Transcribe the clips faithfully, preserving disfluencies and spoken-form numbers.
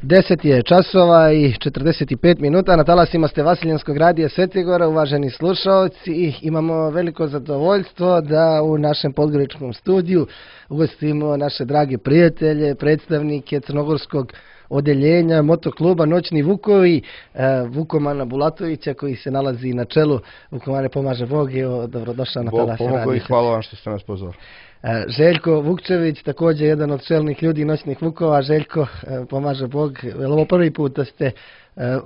deset je časova i četrdeset pet minuta, na talasima ste Vasiljanskog radija Svetigora, uvaženi slušalci, i imamo veliko zadovoljstvo da u našem podgoričkom studiju ugostimo naše drage prijatelje, predstavnike crnogorskog odeljenja motokluba Noćni Vukovi, Vukomana Bulatovića, koji se nalazi na čelu. Vukomane, pomaže Bog, evo, dobrodošao na talas radija. Bog i hvala vam što ste nas pozvali. Željko Vukčević, također jedan od čelnih ljudi Noćnih Vukova. Željko, pomaže Bog, je li ovo prvi put da ste,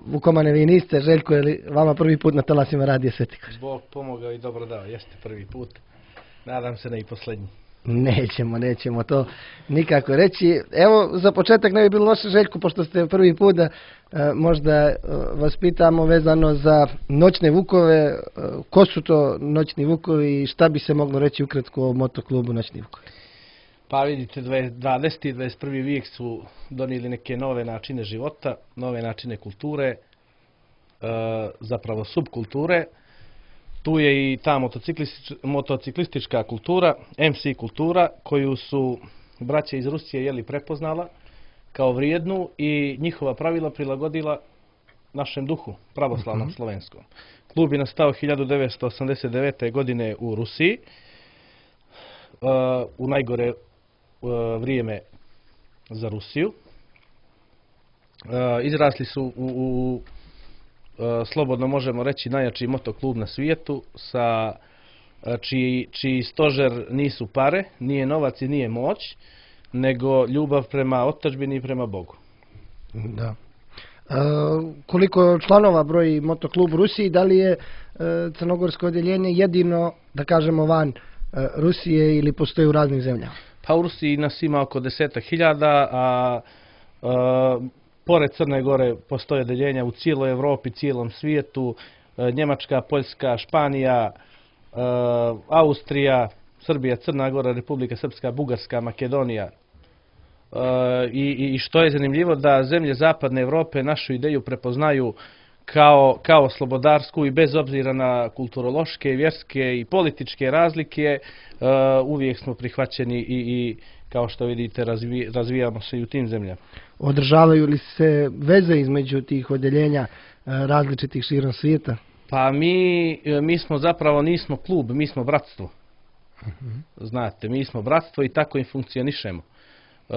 Vukomane, vi niste, Željko, je li vama prvi put na talasima radija Svetigor? Bog pomogao i dobro dao, jeste prvi put, nadam se ne i posljednji. Nećemo, nećemo to nikako reći. Evo, za početak ne bi bilo loše, Željko, pošto ste prvi put, da e, možda e, vas pitamo vezano za Noćne Vukove, e, ko su to Noćni Vukovi i šta bi se moglo reći ukratko o motoklubu Noćni Vukovi? Pa vidite, dvadeseti i dvadeset prvi vijek su donijeli neke nove načine života, nove načine kulture, e, zapravo subkulture. Tu je i ta motociklistička kultura, em ce kultura, koju su braće iz Rusije jeli prepoznala kao vrijednu i njihova pravila prilagodila našem duhu, pravoslavnom uh-huh. slovenskom. Klub je nastao hiljadu devetsto osamdeset devete. godine u Rusiji, uh, u najgore uh, vrijeme za Rusiju. Uh, izrasli su u, u slobodno možemo reći najjači motoklub na svijetu, sa čiji, čiji stožer nisu pare, nije novac i nije moć, nego ljubav prema otadžbini i prema Bogu. Da. E, koliko članova broji motoklub u Rusiji, da li je e, crnogorsko odjeljenje jedino, da kažemo, van e, Rusije ili postoji u raznim zemljama? Pa u Rusiji nas ima oko desetak hiljada, a, a pored Crne Gore postoje odeljenja u cijeloj Europi, cijelom svijetu, Njemačka, Poljska, Španija, Austrija, Srbija, Crna Gora, Republika Srpska, Bugarska, Makedonija. I, i što je zanimljivo, da zemlje zapadne Europe našu ideju prepoznaju kao, kao slobodarsku i bez obzira na kulturološke, vjerske i političke razlike, uvijek smo prihvaćeni i, i kao što vidite razvi, razvijamo se i u tim zemljama. Održavaju li se veze između tih odjeljenja različitih širom svijeta? Pa mi, mi smo zapravo nismo klub, mi smo bratstvo. Uh-huh. Znate, mi smo bratstvo i tako i funkcionišemo. E,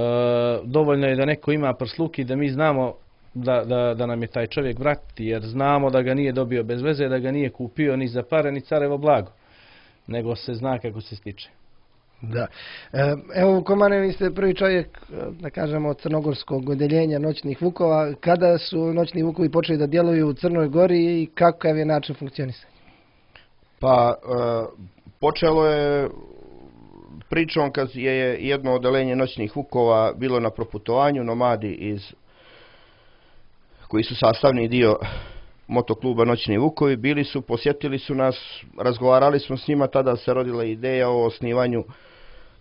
dovoljno je da neko ima prsluk i da mi znamo da, da, da nam je taj čovjek brat, jer znamo da ga nije dobio bez veze, da ga nije kupio ni za pare ni carevo blago, nego se zna kako se stiče. Da. Evo, Vukomane, vi ste prvi čovjek, da kažemo, od crnogorskog odjeljenja Noćnih Vukova. Kada su Noćni Vukovi počeli da djeluju u Crnoj Gori i kakav je način funkcionisanja? Pa, e, počelo je pričom kad je jedno odeljenje Noćnih Vukova bilo na proputovanju, nomadi iz, koji su sastavni dio motokluba Noćni Vukovi, bili su, posjetili su nas, razgovarali smo s njima, tada se rodila ideja o osnivanju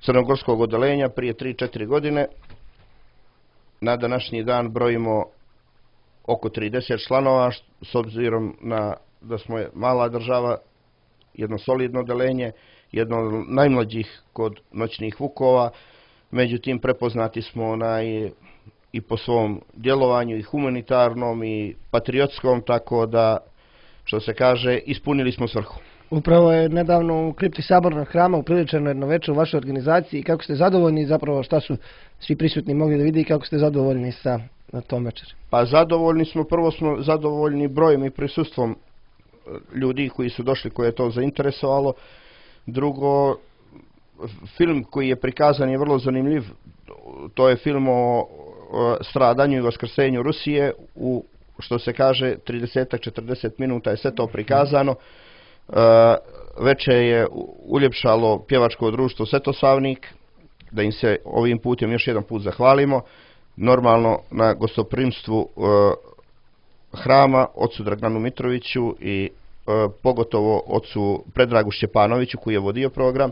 crnogorskog odeljenja prije tri četiri godine. Na današnji dan brojimo oko trideset članova, s obzirom na da smo mala država, jedno solidno odeljenje, jedno od najmlađih kod Noćnih Vukova, međutim prepoznati smo onaj i po svom djelovanju, i humanitarnom i patriotskom, tako da, što se kaže, ispunili smo svrhu. Upravo je nedavno u kripti Sabornog hrama upriličeno jedno večer u vašoj organizaciji. I kako ste zadovoljni, zapravo šta su svi prisutni mogli da vidi i kako ste zadovoljni sa tom večer? Pa zadovoljni smo, prvo smo zadovoljni brojem i prisustvom ljudi koji su došli, koje je to zainteresovalo. Drugo, film koji je prikazan je vrlo zanimljiv. To je film o stradanju i vaskrsenju Rusije, u, što se kaže, trideset do četrdeset minuta je sve to prikazano. E, večer je uljepšalo pjevačko društvo Svetosavnik, da im se ovim putem još jedan put zahvalimo. Normalno na gostoprimstvu e, hrama, ocu Draganu Mitroviću i e, pogotovo ocu Predragu Šćepanoviću koji je vodio program.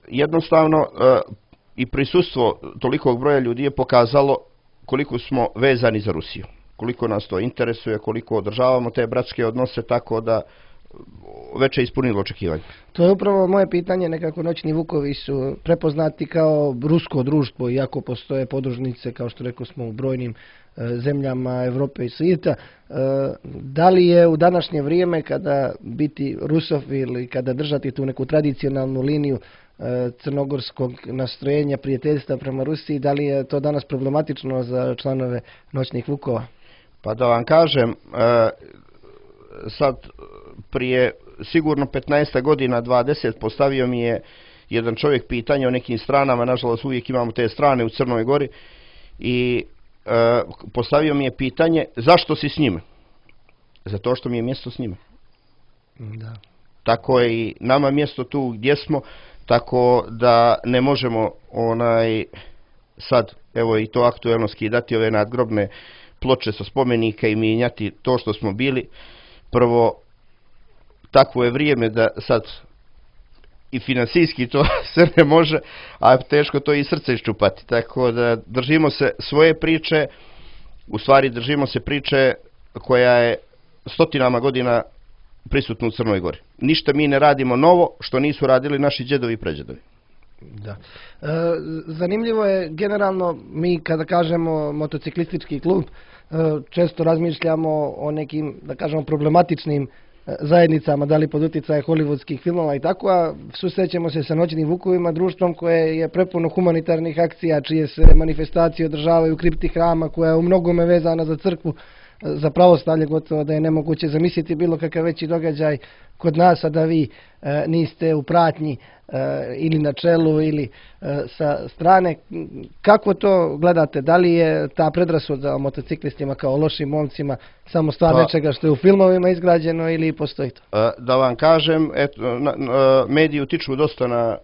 Jednostavno, e, i prisustvo tolikog broja ljudi je pokazalo koliko smo vezani za Rusiju, koliko nas to interesuje, koliko održavamo te bratske odnose, tako da veće ispunilo očekivanje. To je upravo moje pitanje, nekako Noćni vukovi su prepoznati kao rusko društvo, iako postoje podružnice, kao što rekao smo, u brojnim e, zemljama Europe i svijeta. E, da li je u današnje vrijeme, kada biti rusofil i kada držati tu neku tradicionalnu liniju e, crnogorskog nastrojenja, prijateljstva prema Rusiji, da li je to danas problematično za članove Noćnih vukova? Pa da vam kažem, e, sad prije sigurno petnaest godina, dvadeset, postavio mi je jedan čovjek pitanje o nekim stranama, nažalost uvijek imamo te strane u Crnoj Gori, i e, postavio mi je pitanje zašto si s njime? Zato što mi je mjesto s njime. Da. Tako je i nama mjesto tu gdje smo, tako da ne možemo onaj sad, evo i to aktuelno, skidati ove nadgrobne ploče sa spomenika i mijenjati to što smo bili. Prvo, takvo je vrijeme da sad i financijski to se ne može, a teško to i srce iščupati. Tako da držimo se svoje priče, u stvari držimo se priče koja je stotinama godina prisutna u Crnoj Gori. Ništa mi ne radimo novo što nisu radili naši djedovi i pređedovi. Da. E, zanimljivo je, generalno, mi kada kažemo motociklistički klub, e, često razmišljamo o nekim, da kažemo, problematičnim e, zajednicama, da li pod utjecajem hollywoodskih filmova i tako, a susrećemo se sa Noćnim vukovima, društvom koje je prepuno humanitarnih akcija, čije se manifestacije održavaju u kripti hrama, koja je u mnogome vezana za crkvu, za pravoslavlje, gotovo da je nemoguće zamisliti bilo kakav veći događaj kod nas, a da vi e, niste u pratnji e, ili na čelu ili e, sa strane. Kako to gledate? Da li je ta predrasuda o motociklistima kao lošim momcima samo stvar Pa, nečega što je u filmovima izgrađeno ili postoji to? Da vam kažem, eto, na, na, mediji utiču dosta na,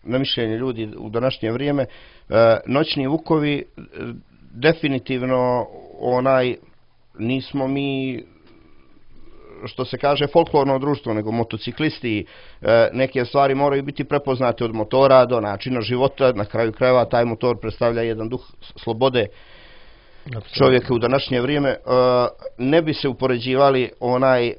na mišljenje ljudi u današnje vrijeme. E, Noćni vukovi definitivno onaj nismo mi, što se kaže, folklorno društvo, nego motociklisti. E, neke stvari moraju biti prepoznate od motora do načina života. Na kraju krajeva taj motor predstavlja jedan duh slobode čovjeka u današnje vrijeme. E, ne bi se upoređivali onaj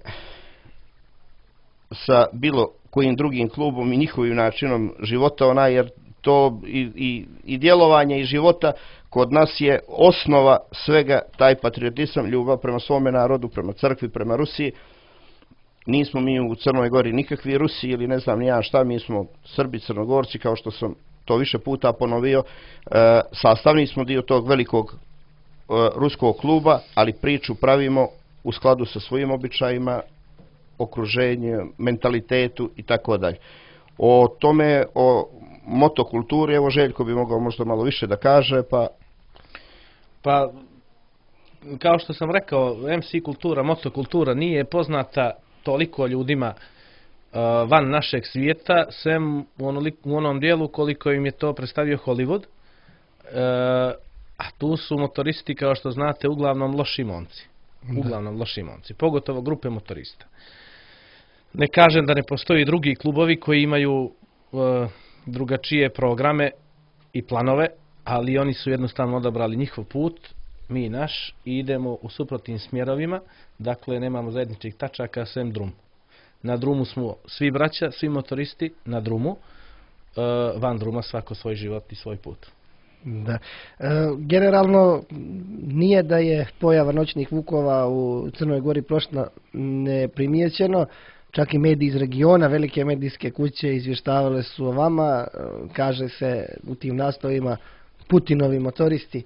sa bilo kojim drugim klubom i njihovim načinom života, onaj, jer to i, i, i djelovanje i života kod nas je osnova svega taj patriotizam, ljubav prema svome narodu, prema crkvi, prema Rusiji. Nismo mi u Crnoj Gori nikakvi Rusi ili ne znam ni ja šta, mi smo Srbi, Crnogorci, kao što sam to više puta ponovio. E, sastavni smo dio tog velikog e, ruskog kluba, ali priču pravimo u skladu sa svojim običajima, okruženjem, mentalitetu i tako dalje. O tome, o motokulturi, evo Željko bi mogao možda malo više da kaže, pa... Pa, kao što sam rekao, em ce kultura, motokultura nije poznata toliko ljudima uh, van našeg svijeta, sem u, onolik, u onom dijelu koliko im je to predstavio Hollywood. Uh, a tu su motoristi, kao što znate, uglavnom loši momci. Uglavnom loši momci, pogotovo grupe motorista. Ne kažem da ne postoji drugi klubovi koji imaju uh, drugačije programe i planove, ali oni su jednostavno odabrali njihov put, mi naš, i idemo u suprotnim smjerovima, dakle nemamo zajedničkih tačaka sem drum. Na drumu smo svi braća, svi motoristi na drumu, uh, van druma svako svoj život i svoj put. Da. E, generalno nije da je pojava Noćnih vukova u Crnoj Gori prošla neprimjećeno. Čak i mediji iz regiona, velike medijske kuće izvještavale su o vama. Kaže se u tim naslovima Putinovi motoristi.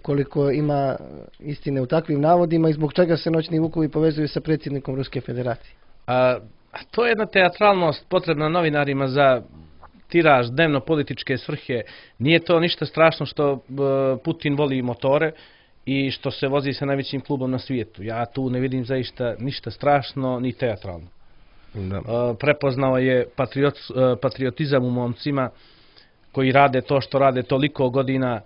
Koliko ima istine u takvim navodima i zbog čega se Noćni vukovi povezuju sa predsjednikom Ruske federacije? A, to je jedna teatralnost potrebna novinarima za tiraž, dnevno političke svrhe. Nije to ništa strašno što Putin voli motore i što se vozi sa najvećim klubom na svijetu. Ja tu ne vidim zaista ništa strašno ni teatralno. Da. Prepoznao je patriot, patriotizam u momcima koji rade to što rade toliko godina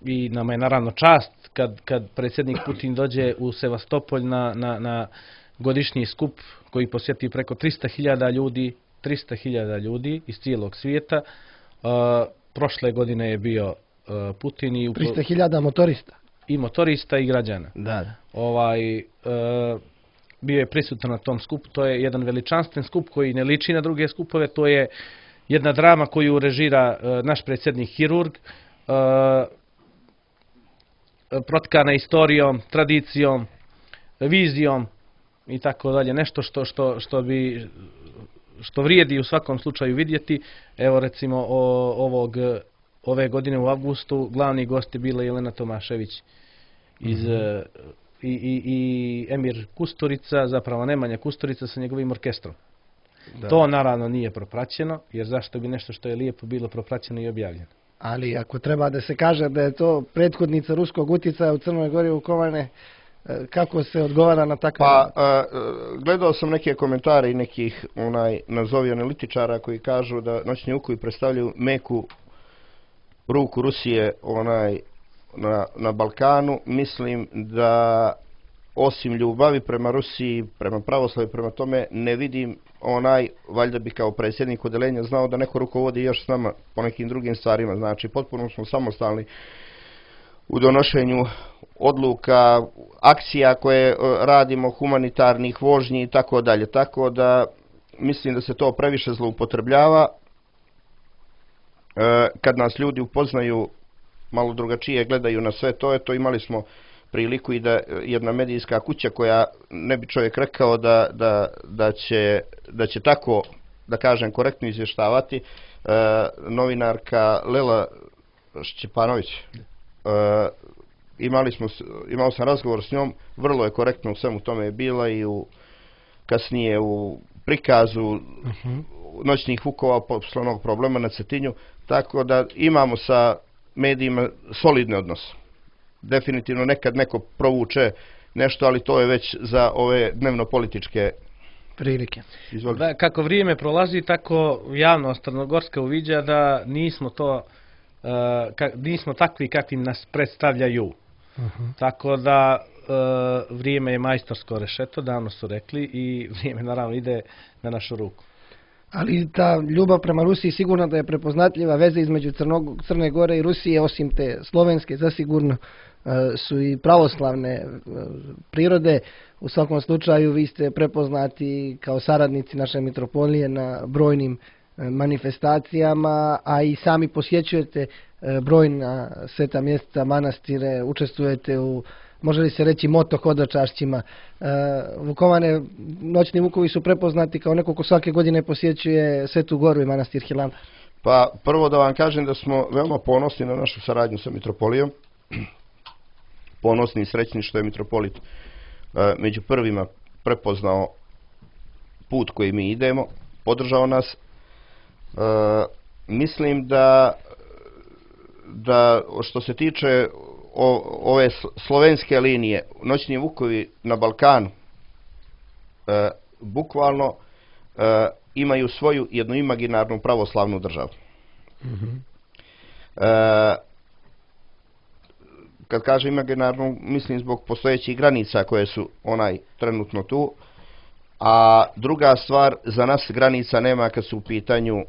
i nama je naravno čast kad, kad predsjednik Putin dođe u Sevastopolj na, na, na godišnji skup koji posjeti preko trista hiljada ljudi, trista hiljada ljudi iz cijelog svijeta. Prošle godine je bio Putin i trista hiljada motorista. I motorista i građana. Da, da. Ovaj, e, bio je prisutan na tom skupu. To je jedan veličanstven skup koji ne liči na druge skupove. To je jedna drama koju režira naš predsjednik hirurg, protkana istorijom, tradicijom, vizijom i tako dalje. Nešto što, što, što bi što vrijedi u svakom slučaju vidjeti. Evo recimo o, ovog, ove godine u avgustu glavni gost je bila Jelena Tomašević iz, mm-hmm. i, i, i Emir Kusturica, zapravo Nemanja Kusturica sa njegovim orkestrom. Da. To naravno nije propraćeno, jer zašto bi nešto što je lijepo bilo propraćeno i objavljeno. Ali ako treba da se kaže da je to prethodnica ruskog utjecaja u Crnoj Gori Vukovane, kako se odgovara na takve... Pa, a, gledao sam neke komentare i nekih onaj, nazovi analitičara koji kažu da noćni vukovi predstavljaju meku ruku Rusije onaj, na, na Balkanu. Mislim da osim ljubavi prema Rusiji, prema pravoslavu, prema tome, ne vidim onaj, valjda bi kao predsjednik odeljenja znao da neko rukovodi još s nama po nekim drugim stvarima. Znači, potpuno smo samostalni u donošenju odluka, akcija koje radimo, humanitarnih vožnji i tako dalje. Tako da mislim da se to previše zloupotrebljava. E, kad nas ljudi upoznaju, malo drugačije gledaju na sve to, je to imali smo priliku i da jedna medijska kuća koja ne bi čovjek rekao da, da, da, će, da će tako, da kažem, korektno izvještavati, e, novinarka Lela Šćepanović. E, imali smo, imao sam razgovor s njom, vrlo je korektno u svemu tome je bila i u, kasnije u prikazu uh-huh. noćnih vukova poslovnog problema na Cetinju, tako da imamo sa medijima solidne odnose. Definitivno nekad neko provuče nešto, ali to je već za ove dnevno-političke prilike. Da, kako vrijeme prolazi, tako javnost crnogorska uviđa da nismo to uh, ka, nismo takvi kakvim nas predstavljaju. Uh-huh. Tako da uh, vrijeme je majstorsko rešeto, davno su rekli, i vrijeme naravno ide na našu ruku. Ali ta ljubav prema Rusiji sigurno da je prepoznatljiva, veze između Crnog, Crne Gore i Rusije, osim te slovenske, zasigurno su i pravoslavne prirode. U svakom slučaju vi ste prepoznati kao saradnici naše mitropolije na brojnim manifestacijama, a i sami posjećujete brojna sveta mjesta, manastire, učestvujete u, može li se reći, moto hodočašćima. Vukovane, noćni vukovi su prepoznati kao neko ko svake godine posjećuje Svetu Goru i manastir Hilandar. Pa prvo da vam kažem da smo veoma ponosni na našu saradnju sa mitropolijom. Ponosni i srećni što je mitropolit e, među prvima prepoznao put koji mi idemo, podržao nas. E, mislim da, da što se tiče o, ove slovenske linije, noćni vukovi na Balkanu, e, bukvalno e, imaju svoju jednu imaginarnu pravoslavnu državu. Mm-hmm. E, kad kažem imaginarnu, mislim zbog postojećih granica koje su onaj trenutno tu, a druga stvar, za nas granica nema kad su u pitanju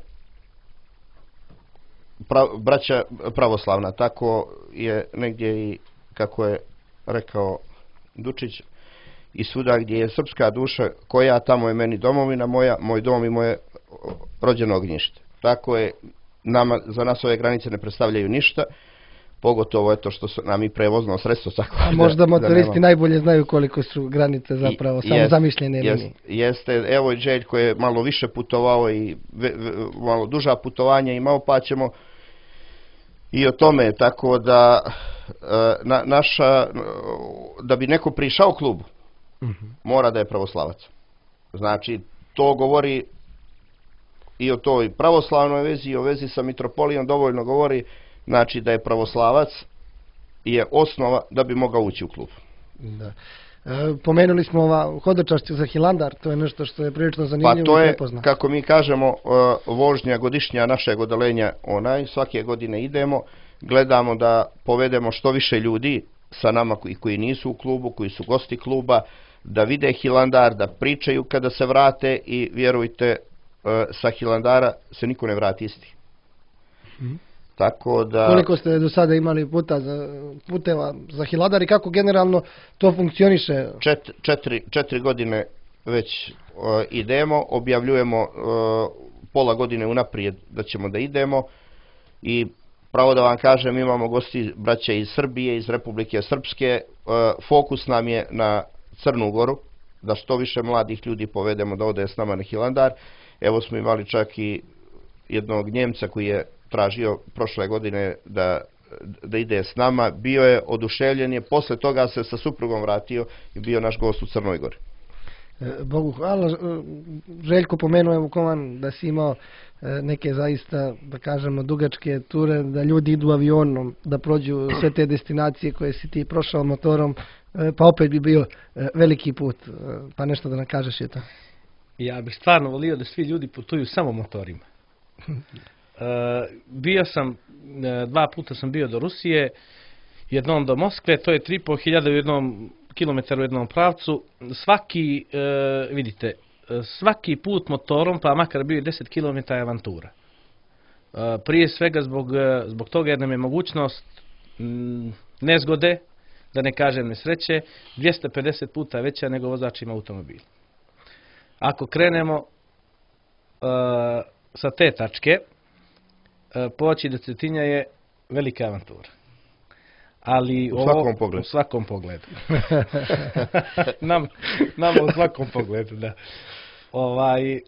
pra, braća pravoslavna. Tako je negdje i, kako je rekao Dučić, i svuda gdje je srpska duša, koja tamo je meni domovina moja, moj dom i moje rođeno ognjište. Tako je, nama, za nas ove granice ne predstavljaju ništa, pogotovo je to što su nam i prevozno sredstvo. Tako a možda da, motoristi da najbolje znaju koliko su granice zapravo, I, samo jest, zamišljene jest, linije. Jeste, evo i Đelj koji je malo više putovao i ve, ve, malo duža putovanja imao, pa ćemo i o tome, tako da na, naša, da bi neko prišao klubu, uh-huh. mora da je pravoslavac. Znači, to govori i o toj pravoslavnoj vezi, i o vezi sa mitropolijom dovoljno govori. Znači da je pravoslavac je osnova da bi mogao ući u klub. Da. E, pomenuli smo ova hodočašće za Hilandar, to je nešto što je prilično zanimljivo. Pa to je, kako mi kažemo, vožnja godišnja našeg odelenja, onaj, svake godine idemo, gledamo da povedemo što više ljudi sa nama koji, koji nisu u klubu, koji su gosti kluba, da vide Hilandar, da pričaju kada se vrate, i vjerujte, sa Hilandara se niko ne vrati isti. Hmm. Tako da... Koliko ste do sada imali puta za, puteva za Hiladar i kako generalno to funkcioniše? Čet, četiri, četiri godine već uh, idemo, objavljujemo uh, pola godine unaprijed da ćemo da idemo i pravo da vam kažem, imamo gosti braće iz Srbije, iz Republike Srpske. Uh, fokus nam je na Crnu Goru, da što više mladih ljudi povedemo da ode s nama na Hilandar. Evo smo imali čak i jednog Njemca koji je tražio prošle godine da, da ide s nama. Bio je oduševljen, je posle toga se sa suprugom vratio i bio naš gost u Crnoj Gori. Bogu hvala. Željko, pomenuo Vukovan da si imao neke zaista, da kažemo, dugačke ture, da ljudi idu avionom, da prođu sve te destinacije koje si ti prošao motorom, pa opet bi bio veliki put. Pa nešto da nam kažeš je to. Ja bih stvarno volio da svi ljudi putuju samo motorima. E, bio sam, dva puta sam bio do Rusije, jednom do Moskve, to je tri i po hiljade u jednom kilometru u jednom pravcu. Svaki, e, vidite, svaki put motorom, pa makar bio i deset kilometara je avantura. E, prije svega zbog, zbog toga jer nam je mogućnost m, nezgode, da ne kažem nesreće, dvjesto pedeset puta veća nego vozač ima automobil. Ako krenemo uh, sa te tačke, uh, poći do Cetinja je velika avantura. Ali u ovo, svakom pogledu. U svakom pogledu. Nam, nam u svakom pogledu, da. Ovaj,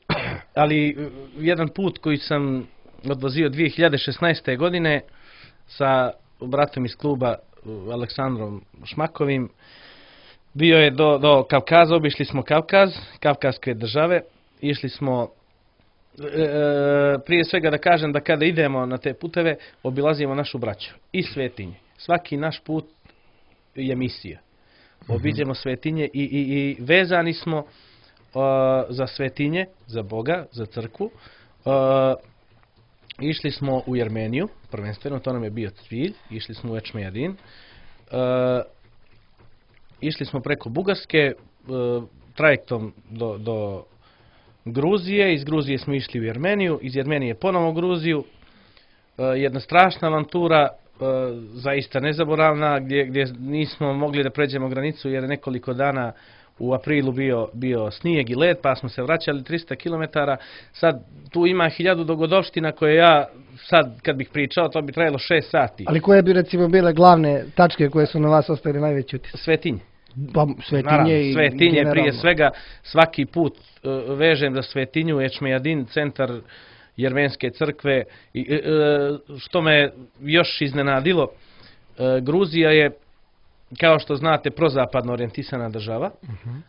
ali jedan put koji sam odvozio dvije hiljade šesnaeste. godine sa bratom iz kluba Aleksandrom Šmakovim, bio je do, do Kavkaza, obišli smo Kavkaz, Kavkazske države, išli smo, e, prije svega da kažem da kada idemo na te puteve, obilazimo našu braću i svetinje. Svaki naš put je misija. Obiđemo svetinje i, i, i vezani smo uh, za svetinje, za Boga, za crkvu. Uh, išli smo u Jermeniju, prvenstveno, to nam je bio cilj, išli smo u Ečmejadin. Uh, Išli smo preko Bugarske, e, trajektom do, do Gruzije, iz Gruzije smo išli u Jermeniju, iz Jermenije ponovo u Gruziju. E, jedna strašna avantura, e, zaista nezaboravna, gdje, gdje nismo mogli da pređemo granicu jer je nekoliko dana u aprilu bio, bio snijeg i led, pa smo se vraćali tristo kilometara. Sad tu ima hiljadu dogodovština koje ja sad kad bih pričao, to bi trajalo šest sati. Ali koje bi recimo bile glavne tačke koje su na vas ostavili najveći utisak? Svetinje. Pa, svetinje, Naravno, i svetinje generalno. Prije svega, svaki put uh, vežem za svetinju Ečmejadin, centar Jermenske crkve. I, uh, što me još iznenadilo, uh, Gruzija je, kao što znate, prozapadno orijentisana država, uh-huh.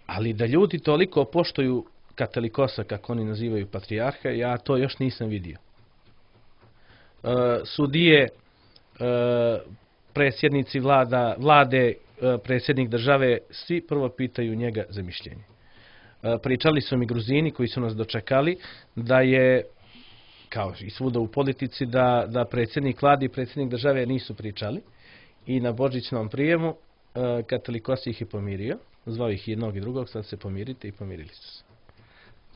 ali da ljudi toliko poštuju katolikosa, kako oni nazivaju patrijarha, ja to još nisam vidio. Uh, sudije, uh, predsjednici vlada, vlade, uh, predsjednik države, svi prvo pitaju njega za mišljenje. Uh, pričali su mi Gruzini koji su nas dočekali da je, kao i svuda u politici, da, da predsjednik vlade i predsjednik države nisu pričali. I na božićnom prijemu uh, katolikos ih je pomirio, zvao ih jednog i drugog, sad se pomirite i pomirili su se.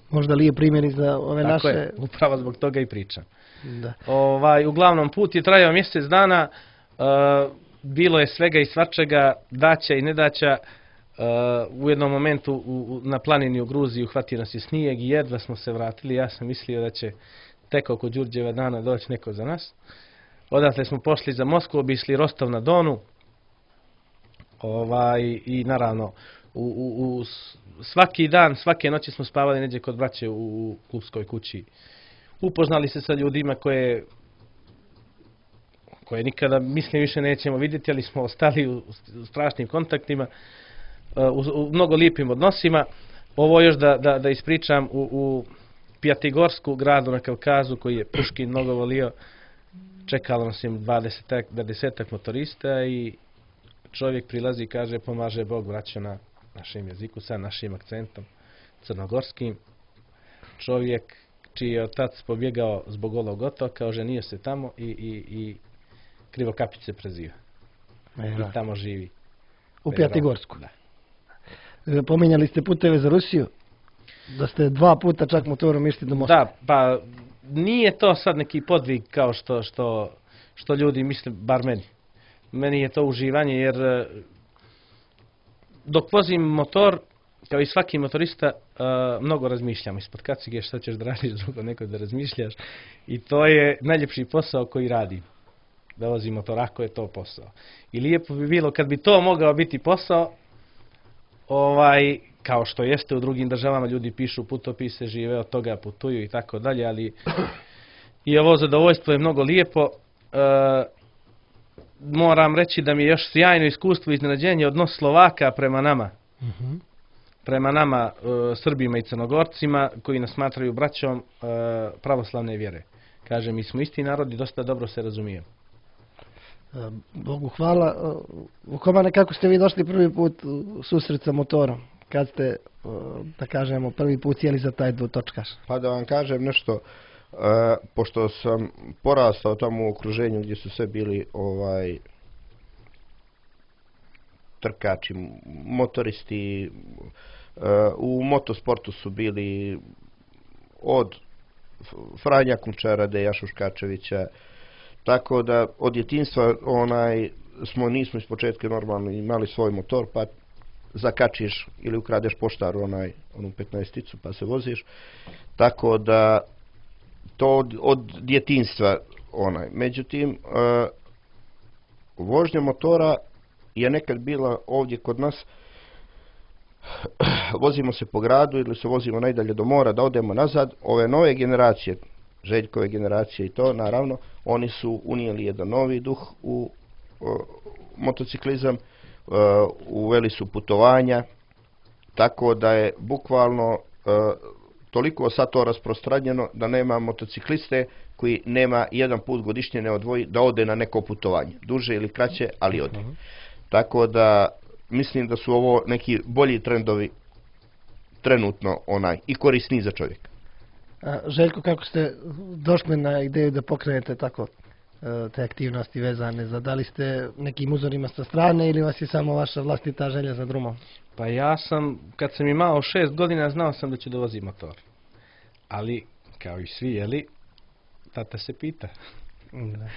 Možda li je primjer i za ove Tako naše... je, upravo zbog toga i pričam. Da. Ovaj, uglavnom, put je trajao mjesec dana, uh, bilo je svega i svačega, daća i nedaća. Uh, u jednom momentu u, u, na planini u Gruziji uhvatio nas je snijeg i jedva smo se vratili. Ja sam mislio da će tek oko Đurđeva dana doći neko za nas. Odatle smo pošli za Moskvu, obišli Rostov na Donu. Ovaj, i naravno, u, u, u svaki dan, svake noći smo spavali neđe kod braće u, u klubskoj kući. Upoznali se sa ljudima koje, koje nikada, mislim, više nećemo vidjeti, ali smo ostali u, u strašnim kontaktima, u, u mnogo lijepim odnosima. Ovo još da, da, da ispričam, u, u Pjatigorsku, gradu na Kavkazu, koji je Puškin mnogo volio, čekalo nas je dvadesetak motorista i čovjek prilazi i kaže pomaže Bog, braćo, na našem jeziku, sa našim akcentom crnogorskim. Čovjek čiji je otac pobjegao zbog Golog otoka, oženio se tamo i, i, i Krivokapić se preziva. I tamo živi. U Pjatigorsku. Da. Pominjali ste puteve za Rusiju, da ste dva puta čak motorom išli do Moskve. Da, pa nije to sad neki podvig kao što, što što ljudi misle, bar meni. Meni je to uživanje jer e, dok vozim motor, kao i svaki motorista, uh, mnogo razmišljam ispod kacige šta ćeš da radiš drugo, neko da razmišljaš. I to je najljepši posao koji radim. Da vozim motor, ako je to posao. I lijepo bi bilo kad bi to mogao biti posao, ovaj, kao što jeste u drugim državama, ljudi pišu putopise, žive od toga, putuju i tako dalje, ali i ovo zadovoljstvo je mnogo lijepo. Uh, moram reći da mi je još sjajno iskustvo i iznenađenje odnos Slovaka prema nama. Mhm. prema nama, e, Srbima i Crnogorcima, koji nas smatraju braćom e, pravoslavne vjere. Kaže, mi smo isti narod i dosta dobro se razumijemo. E, Bogu hvala. E, Vukomane, kako ste vi došli prvi put u susret sa motorom? Kad ste, e, da kažemo, prvi put sjeli za taj dvotočkaš? Pa da vam kažem nešto, e, pošto sam porastao tamo u okruženju gdje su sve bili ovaj trkači, motoristi, u motosportu su bili od Franja Kunčara, Deja Šuškačevića, tako da od djetinjstva onaj, smo, nismo iz početka normalno imali svoj motor, pa zakačiš ili ukradeš poštaru onaj, onu petnaesticu pa se voziš, tako da to od, od djetinjstva onaj. Međutim, uh, vožnja motora je nekad bila ovdje kod nas, vozimo se po gradu ili se vozimo najdalje do mora da odemo nazad. Ove nove generacije, Željkove generacije i to, naravno, oni su unijeli jedan novi duh u o, motociklizam, o, uveli su putovanja, tako da je bukvalno o, toliko sad to rasprostranjeno da nema motocikliste koji nema jedan put godišnje ne odvoji da ode na neko putovanje, duže ili kraće, ali ode. Uh-huh. Tako da mislim da su ovo neki bolji trendovi trenutno onaj i korisni za čovjeka. A, Željko, kako ste došli na ideju da pokrenete tako te aktivnosti vezane za, da li ste nekim uzorima sa strane ili vas je samo vaša vlastita želja za drumom? Pa ja sam, kad sam imao šest godina, znao sam da ću da vozim motor. Ali, kao i svi, jeli, tata se pita. Da.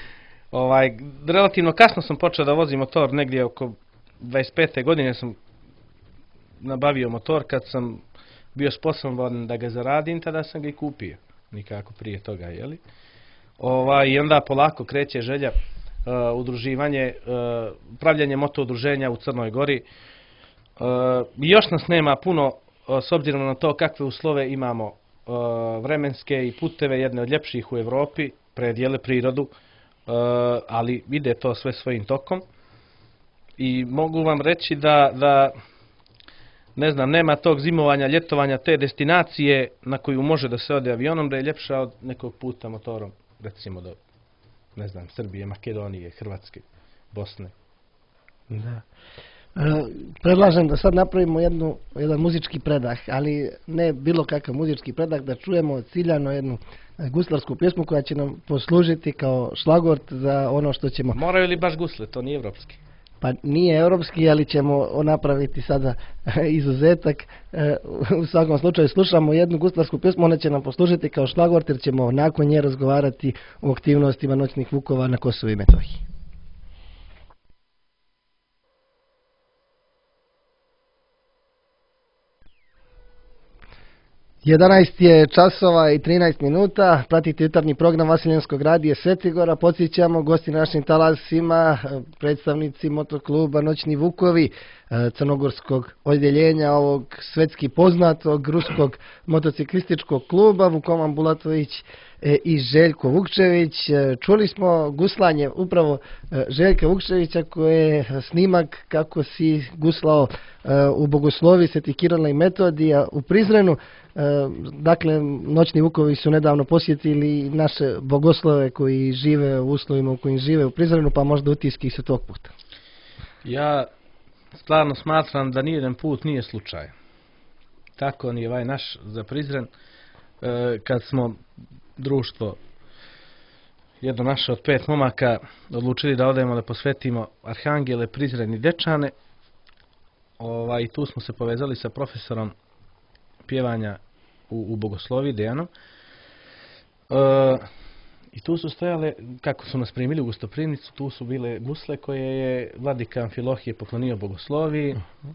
Ovaj, relativno kasno sam počeo da vozim motor, negdje oko dvadeset pete godine sam nabavio motor. Kad sam bio sposoban da ga zaradim, tada sam ga i kupio. Nikako prije toga, jeli? Ovaj, I onda polako kreće želja, uh, udruživanje, uh, pravljanje moto udruženja u Crnoj Gori. Uh, još nas nema puno, uh, s obzirom na to kakve uslove imamo, uh, vremenske i puteve, jedne od ljepših u Evropi, predjele prirodu, uh, ali ide to sve svojim tokom. I mogu vam reći da, da ne znam, nema tog zimovanja, ljetovanja, te destinacije na koju može da se ode avionom, da je ljepša od nekog puta motorom, recimo do, ne znam, Srbije, Makedonije, Hrvatske, Bosne. Da. E, predlažem da sad napravimo jednu, jedan muzički predah, ali ne bilo kakav muzički predah, da čujemo ciljano jednu guslarsku pjesmu koja će nam poslužiti kao šlagort za ono što ćemo... Moraju li baš gusle, to nije evropski? Pa nije europski, ali ćemo napraviti sada izuzetak. U svakom slučaju slušamo jednu guslarsku pjesmu, ona će nam poslužiti kao šlagvort jer ćemo nakon nje razgovarati o aktivnostima noćnih vukova na Kosovu i Metohiji. jedanaest je časova i trinaest minuta, pratite jutarnji program Vasiljanskog radija Svetigora, podsjećamo gosti našim talasima, predstavnici motokluba Noćni Vukovi, crnogorskog odjeljenja ovog svetski poznatog ruskog motociklističkog kluba, Vukoman Bulatović i Željko Vukčević. Čuli smo guslanje upravo Željka Vukčevića koje je snimak kako si guslao u Bogoslovi Sveti Kirila i Metodija u Prizrenu. Dakle, Noćni Vukovi su nedavno posjetili naše bogoslove koji žive u uslovima u kojim žive u Prizrenu, pa možda utiski su tog puta. Ja stvarno smatram da nijedan put nije slučaj. Tako ni ovaj naš za Prizren, kad smo društvo jedno naše od pet momaka odlučili da odemo da posvetimo Arhangele, Prizren i Dečane. Ovaj, tu smo se povezali sa profesorom pjevanja u, u Bogoslovi, Dejanom. E, I tu su stojale, kako su nas primili u gostoprimnicu, tu su bile gusle koje je vladika Amfilohije poklonio Bogosloviji. Uh-huh.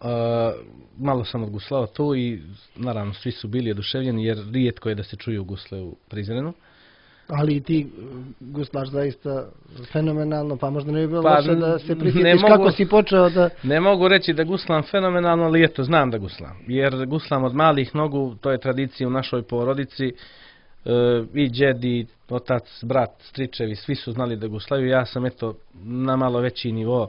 Uh, malo sam odguslao tu i naravno svi su bili oduševljeni jer rijetko je da se čuju gusle u Prizrenu. Ali i ti guslaš zaista fenomenalno, pa možda ne bi bilo pa, loše da se prisjetiš kako mogu, si počeo da... Ne mogu reći da guslam fenomenalno, ali eto, znam da guslam. Jer guslam od malih nogu, to je tradicija u našoj porodici. E, I džed, i otac, brat, stričevi, svi su znali da guslaju. Ja sam eto na malo veći nivo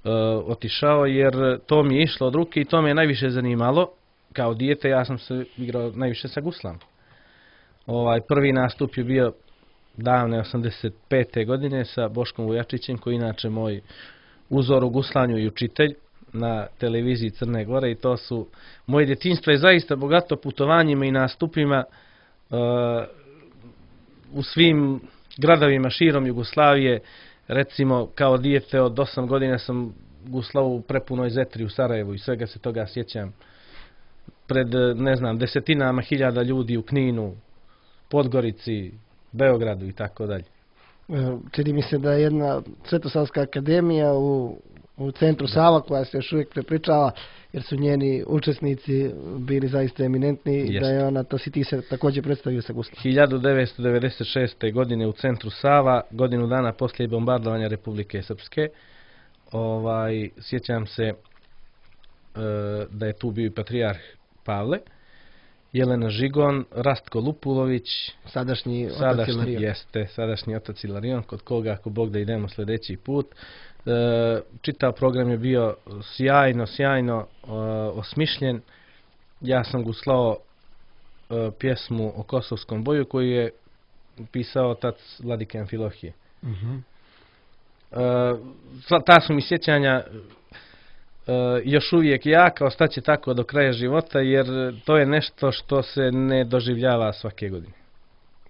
e, otišao jer to mi je išlo od ruke i to me je najviše zanimalo. Kao dijete ja sam se igrao najviše sa guslam. Ovaj prvi nastup je bio davne osamdeset pete godine sa Boškom Vujačićem, koji je inače moj uzor u guslanju i učitelj na televiziji Crne Gore, i to su moje djetinjstvo je zaista bogato putovanjima i nastupima uh, u svim gradovima širom Jugoslavije. Recimo kao dijete od osam godina sam guslao u prepunoj Zetri u Sarajevu i svega se toga sjećam. Pred, ne znam, desetinama hiljada ljudi u Kninu, Podgorici, Beogradu i tako dalje. Čini mi se da je jedna Svetosavska akademija u, u centru Sava, koja se još uvijek prepričava, jer su njeni učesnici bili zaista eminentni. Jeste. Da je ona, to si ti se također predstavio sa guslom. hiljadu devetsto devedeset šeste. godine u centru Sava, godinu dana poslije bombardovanja Republike Srpske, ovaj, sjećam se e, da je tu bio i patrijarh Pavle, Jelena Žigon, Rastko Lupulović, sadašnji, sadašnji otac Ilarion. Jeste, sadašnji otac Ilarion, kod koga, ako Bog da idemo sljedeći put. E, čitav program je bio sjajno, sjajno e, osmišljen. Ja sam guslao e, pjesmu o Kosovskom boju koju je pisao otac vladike Amfilohije. Uh-huh. E, ta su mi sjećanja Uh, još uvijek jaka, ostaće tako do kraja života, jer to je nešto što se ne doživljava svake godine.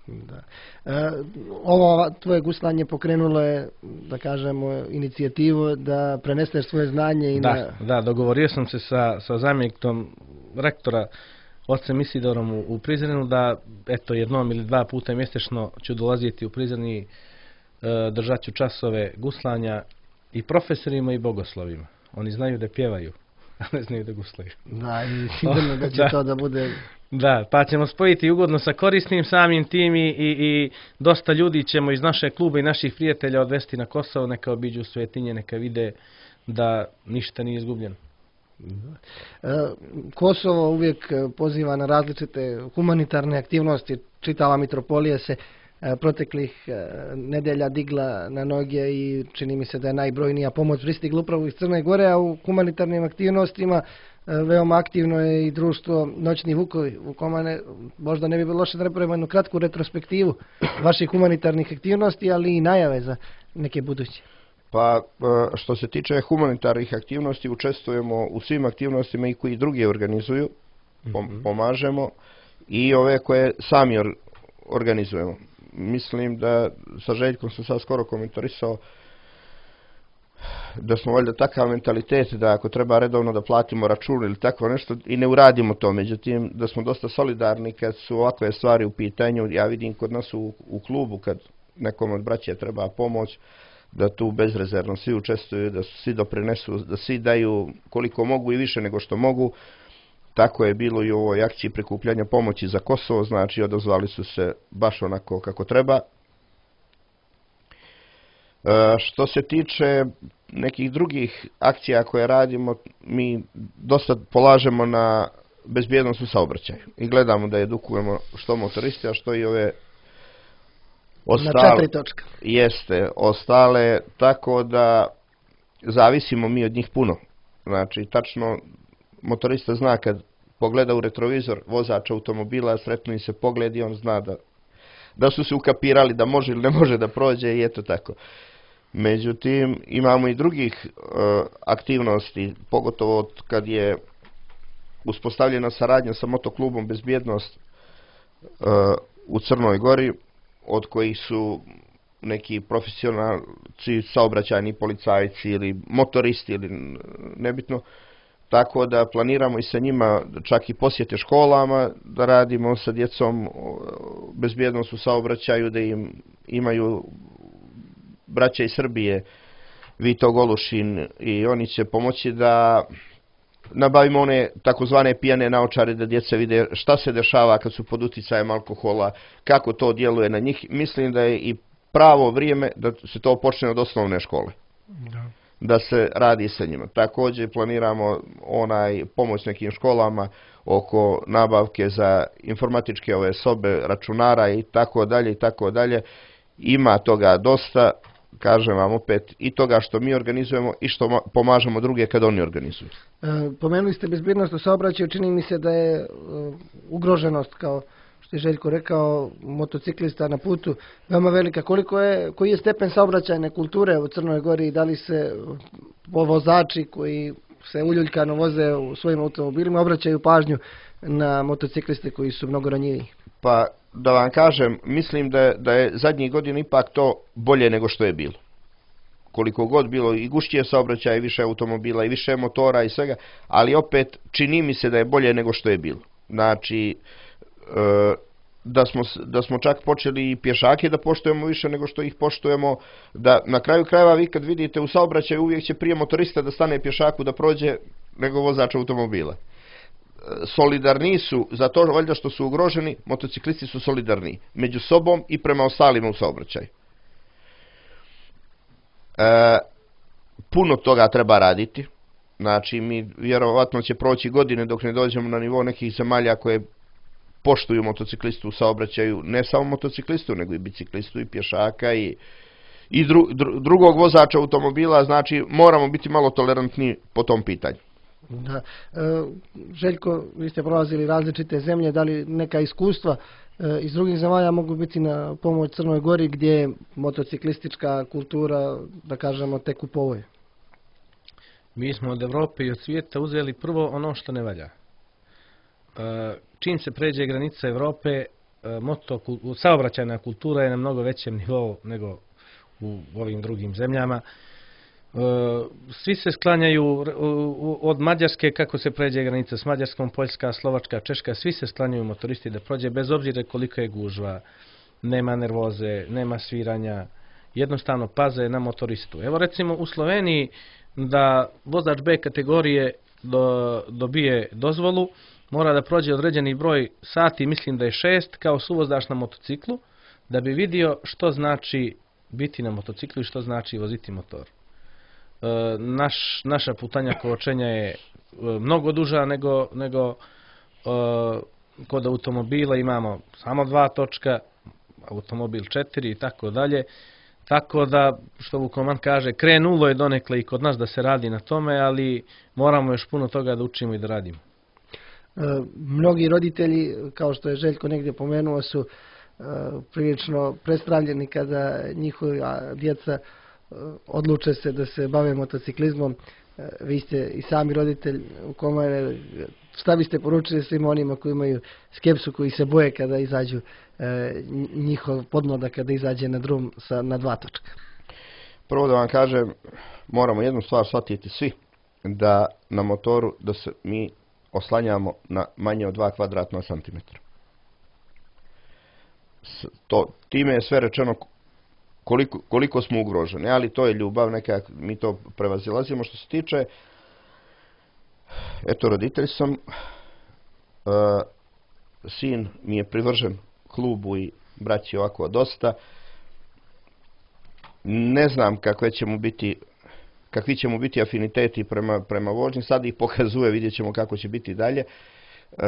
Da. E, ovo tvoje guslanje pokrenulo je, da kažemo, inicijativu da preneseš svoje znanje i da, na... Da, dogovorio sam se sa, sa zamjenikom rektora, ocem Isidorom u, u Prizrenu, da eto jednom ili dva puta mjesečno ću dolaziti u Prizren i e, držat ću časove guslanja i profesorima i bogoslovima. Oni znaju da pjevaju, a ne znaju da guslaju. Da, i sigurno da će da. to da bude... Da, pa ćemo spojiti ugodno sa korisnim samim tim i, i, i dosta ljudi ćemo iz našeg kluba i naših prijatelja odvesti na Kosovo, neka obiđu Svetinje, neka vide da ništa nije izgubljeno. E, Kosovo uvijek poziva na različite humanitarne aktivnosti. Čitava mitropolija se proteklih nedelja digla na noge i čini mi se da je najbrojnija pomoć pristigla upravo iz Crne Gore, a u humanitarnim aktivnostima veoma aktivno je i društvo Noćni vukovi, u kome možda ne bi bilo loše da napravimo jednu kratku retrospektivu vaših humanitarnih aktivnosti, ali i najave za neke buduće. Pa što se tiče humanitarnih aktivnosti, učestvujemo u svim aktivnostima i koji drugi organizuju, pom- pomažemo, i ove koje sami or- organizujemo. Mislim da sa Željkom sam sad skoro komentarisao da smo valjda takav mentalitet da ako treba redovno da platimo račun ili tako nešto i ne uradimo to. Međutim, da smo dosta solidarni kad su ovakve stvari u pitanju. Ja vidim kod nas u, u klubu kad nekom od braće treba pomoć, da tu bezrezervno svi učestvuju, da svi doprinesu, da svi daju koliko mogu i više nego što mogu. Tako je bilo i u ovoj akciji prikupljanja pomoći za Kosovo, znači odazvali su se baš onako kako treba. E, što se tiče nekih drugih akcija koje radimo, mi dosta polažemo na bezbjednost u saobraćaju i gledamo da edukujemo što motoriste, a što i ove ostale. Na četiri točka. Jeste, ostale, tako da zavisimo mi od njih puno. Znači, tačno motorista zna kad pogleda u retrovizor vozač automobila, sretno im se pogled i on zna da, da su se ukapirali da može ili ne može da prođe i eto tako. Međutim, imamo i drugih uh, aktivnosti, pogotovo od kad je uspostavljena saradnja sa motoklubom Bezbjednost uh, u Crnoj Gori, od kojih su neki profesionalci, saobraćajni policajci ili motoristi ili nebitno, tako da planiramo i sa njima čak i posjete školama, da radimo sa djecom bezbjednost u saobraćaju, da im imaju braća iz Srbije, Vito Golušin, i oni će pomoći da nabavimo one takozvane pijane naočare, da djeca vide šta se dešava kad su pod uticajem alkohola, kako to djeluje na njih. Mislim da je i pravo vrijeme da se to počne od osnovne škole. Da. Da se radi sa njima. Također planiramo onaj pomoć nekim školama oko nabavke za informatičke ove sobe, računara i tako dalje i tako dalje. Ima toga dosta, kažem vam opet, i toga što mi organizujemo i što pomažemo druge kad oni organizuju. E, pomenuli ste bezbjednost u saobraćaju, čini mi se da je e, ugroženost, kao što je Željko rekao, motociklista na putu veoma velika. Koliko je, koji je stepen saobraćajne kulture u Crnoj Gori i da li se vozači koji se uljuljkano voze u svojim automobilima obraćaju pažnju na motocikliste koji su mnogo ranjiviji? Pa da vam kažem, mislim da, da je zadnjih godina ipak to bolje nego što je bilo. Koliko god bilo i gušćije saobraćaja, i više automobila, i više motora i svega, ali opet čini mi se da je bolje nego što je bilo. Znači, e, da smo, da smo čak počeli i pješake da poštujemo više nego što ih poštujemo, da na kraju krajeva vi kad vidite u saobraćaju uvijek će prije motorista da stane pješaku da prođe nego vozač automobila. Solidarni su, za to valjda što su ugroženi, motociklisti su solidarni među sobom i prema ostalima u saobraćaju. E, puno toga treba raditi. Znači, mi vjerovatno će proći godine dok ne dođemo na nivo nekih zemalja koje poštuju motociklistu u saobraćaju, ne samo motociklistu, nego i biciklistu, i pješaka, i, i dru, dru, drugog vozača automobila. Znači, moramo biti malo tolerantni po tom pitanju. Da. E, Željko, vi ste prolazili različite zemlje, da li neka iskustva e, iz drugih zemalja mogu biti na pomoć Crnoj Gori, gdje je motociklistička kultura, da kažemo, tek u povoju? Mi smo od Evrope i od svijeta uzeli prvo ono što ne valja. E, čim se pređe granica Evrope, e, moto, saobraćajna kultura je na mnogo većem nivou nego u ovim drugim zemljama. Svi se sklanjaju od Mađarske, kako se pređe granica s Mađarskom, Poljska, Slovačka, Češka, svi se sklanjaju motoristi da prođe, bez obzira koliko je gužva, nema nervoze, nema sviranja, jednostavno paze na motoristu. Evo recimo u Sloveniji da vozač B kategorije do, dobije dozvolu, mora da prođe određeni broj sati, mislim da je šest, kao suvozač na motociklu, da bi vidio što znači biti na motociklu i što znači voziti motor. Naš, naša putanja kočenja je mnogo duža nego, nego uh, kod automobila. Imamo samo dva točka, automobil četiri i tako dalje. Tako da, što Vukoman kaže, krenulo je donekle i kod nas da se radi na tome, ali moramo još puno toga da učimo i da radimo. E, mnogi roditelji, kao što je Željko negdje pomenuo, su e, prilično prestravljeni kada njihova djeca odluče se da se bave motociklizmom. Vi ste i sami roditelj u Komare. Šta biste poručili svim onima koji imaju skepsu, koji se boje kada izađu njihov podmladak, kada izađe na drum sa, na dva točka? Prvo da vam kažem, moramo jednu stvar shvatiti svi, da na motoru da se mi oslanjamo na manje od dva kvadratna santimetra. To, time je sve rečeno Koliko, koliko smo ugroženi, ali to je ljubav, neka, mi to prevazilazimo. Što se tiče, eto, roditelj sam, uh, sin mi je privržen klubu i braći ovako dosta. Ne znam kakve će mu biti, kakvi će mu biti afiniteti prema, prema vožnji, sad ih pokazuje, vidjet ćemo kako će biti dalje. Uh,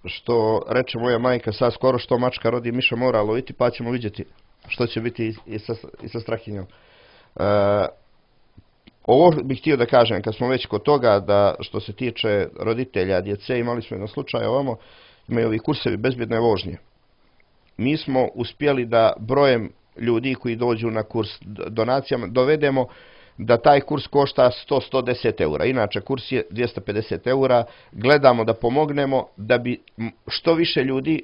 što reče moja majka, sad skoro što mačka rodi, miša mora loviti, pa ćemo vidjeti što će biti i, i, sa, i sa Strahinjom. E, ovo bih htio da kažem, kad smo već kod toga, da što se tiče roditelja, djece, imali smo jedan slučaj ovamo, imaju ovi kursevi bezbjedne vožnje. Mi smo uspjeli da brojem ljudi koji dođu na kurs donacijama dovedemo da taj kurs košta sto do sto deset eura. Inače, kurs je dvjesto pedeset eura. Gledamo da pomognemo da bi što više ljudi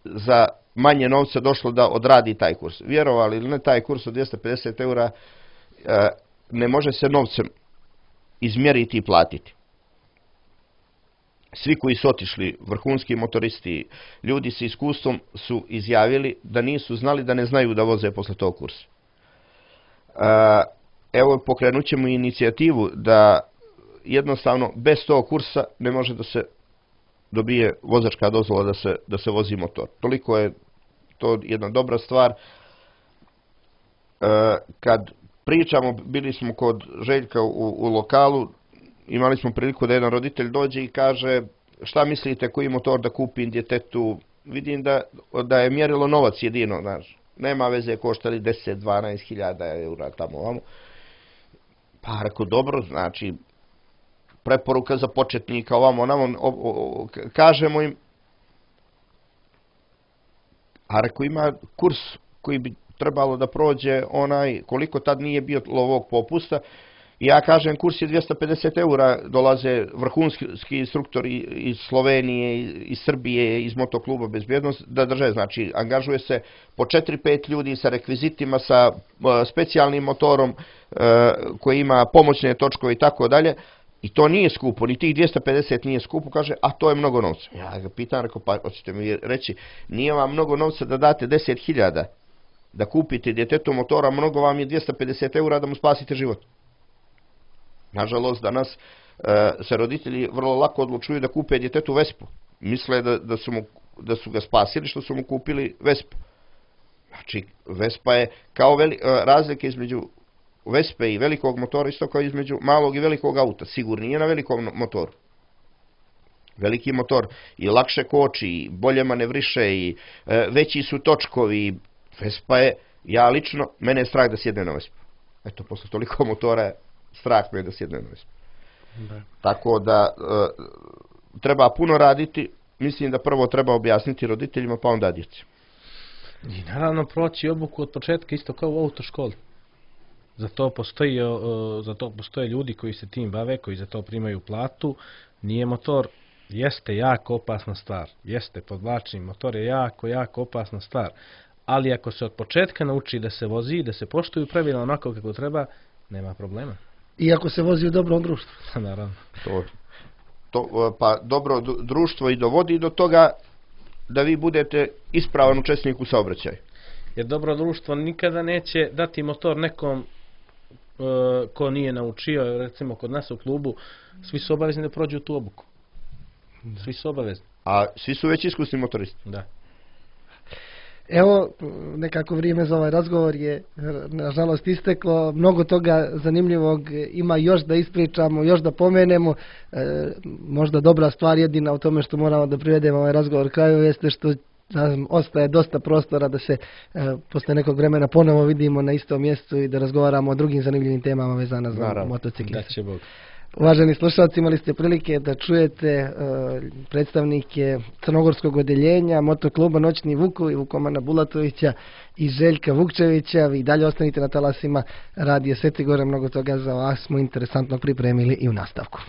za manje novca došlo da odradi taj kurs. Vjerovali ili ne, taj kurs od dvjesto pedeset eura e, ne može se novcem izmjeriti i platiti. Svi koji su otišli, vrhunski motoristi, ljudi s iskustvom su izjavili da nisu znali da ne znaju da voze posle tog kursa. Evo, pokrenut ćemo inicijativu da jednostavno bez tog kursa ne može da se dobije vozačka dozvola da se, da se vozi motor. Toliko je to jedna dobra stvar. Kad pričamo, bili smo kod Željka u, u lokalu, imali smo priliku da jedan roditelj dođe i kaže šta mislite koji motor da kupim djetetu. Vidim da, da je mjerilo novac jedino, znaš. Nema veze koštali deset do dvanaest hiljada eura tamo ovamo. Pa rekao, dobro, znači preporuka za početnika ovamo onamo, o, o, kažemo im, a rekao ima kurs koji bi trebalo da prođe onaj, koliko tad nije bio ovog popusta. I ja kažem, kurs je dvjesto pedeset eura, dolaze vrhunski instruktori iz Slovenije, iz Srbije, iz motokluba Bezbjednost da drže. Znači, angažuje se po četiri pet ljudi sa rekvizitima, sa uh, specijalnim motorom uh, koji ima pomoćne točkove i tako dalje. I to nije skupo, ni tih dvjesto pedeset nije skupo, kaže, a to je mnogo novca. Ja ga pitam, rekao, pa hoćete mi reći, nije vam mnogo novca da date deset hiljada da kupite djetetu motora, mnogo vam je dvjesto pedeset eura da mu spasite život. Nažalost, danas e, se roditelji vrlo lako odlučuju da kupe djetetu Vespu. Misle da, da, su mu, da su ga spasili što su mu kupili Vespu. Znači, Vespa je kao veli, razlike između Vespe i velikog motora, isto kao između malog i velikog auta. Sigurnije na velikom motoru. Veliki motor i lakše koči, i bolje manevriše, i e, veći su točkovi. Vespa je, ja lično, mene je strah da sjedne na Vespu. Eto, posle toliko motora je strah me da sjedne na Vespu. Da. Tako da e, treba puno raditi. Mislim da prvo treba objasniti roditeljima, pa onda djeci. I naravno proći obuku od početka isto kao u autoškoli. Za to postoji, za to postoje ljudi koji se tim bave, koji za to primaju platu. Nije motor, jeste jako opasna stvar. Jeste, podvlačim, motor je jako, jako opasna stvar. Ali ako se od početka nauči da se vozi, da se poštuju pravila onako kako treba, nema problema. I ako se vozi u dobrom društvu. Naravno. To, to, pa dobro društvo i dovodi do toga da vi budete ispravan učesnik u saobraćaju. Jer dobro društvo nikada neće dati motor nekom uh, ko nije naučio. Recimo kod nas u klubu svi su obavezni da prođu tu obuku. Svi su obavezni. A svi su već iskusni motoristi. Da. Evo, nekako vrijeme za ovaj razgovor je nažalost isteklo. Mnogo toga zanimljivog ima još da ispričamo, još da pomenemo. E, možda dobra stvar jedina u tome što moramo da privedemo ovaj razgovor kraju jeste što nam ostaje dosta prostora da se e, posle nekog vremena ponovo vidimo na istom mjestu i da razgovaramo o drugim zanimljivim temama vezana za motocikliste. Da će Bog. Uvaženi slušalci, imali ste prilike da čujete uh, predstavnike crnogorskog odeljenja motokluba Noćni Vukovi, Vukomana Bulatovića i Željka Vukčevića. Vi dalje ostanite na talasima Radija Sveti Gore, mnogo toga za vas smo interesantno pripremili i u nastavku.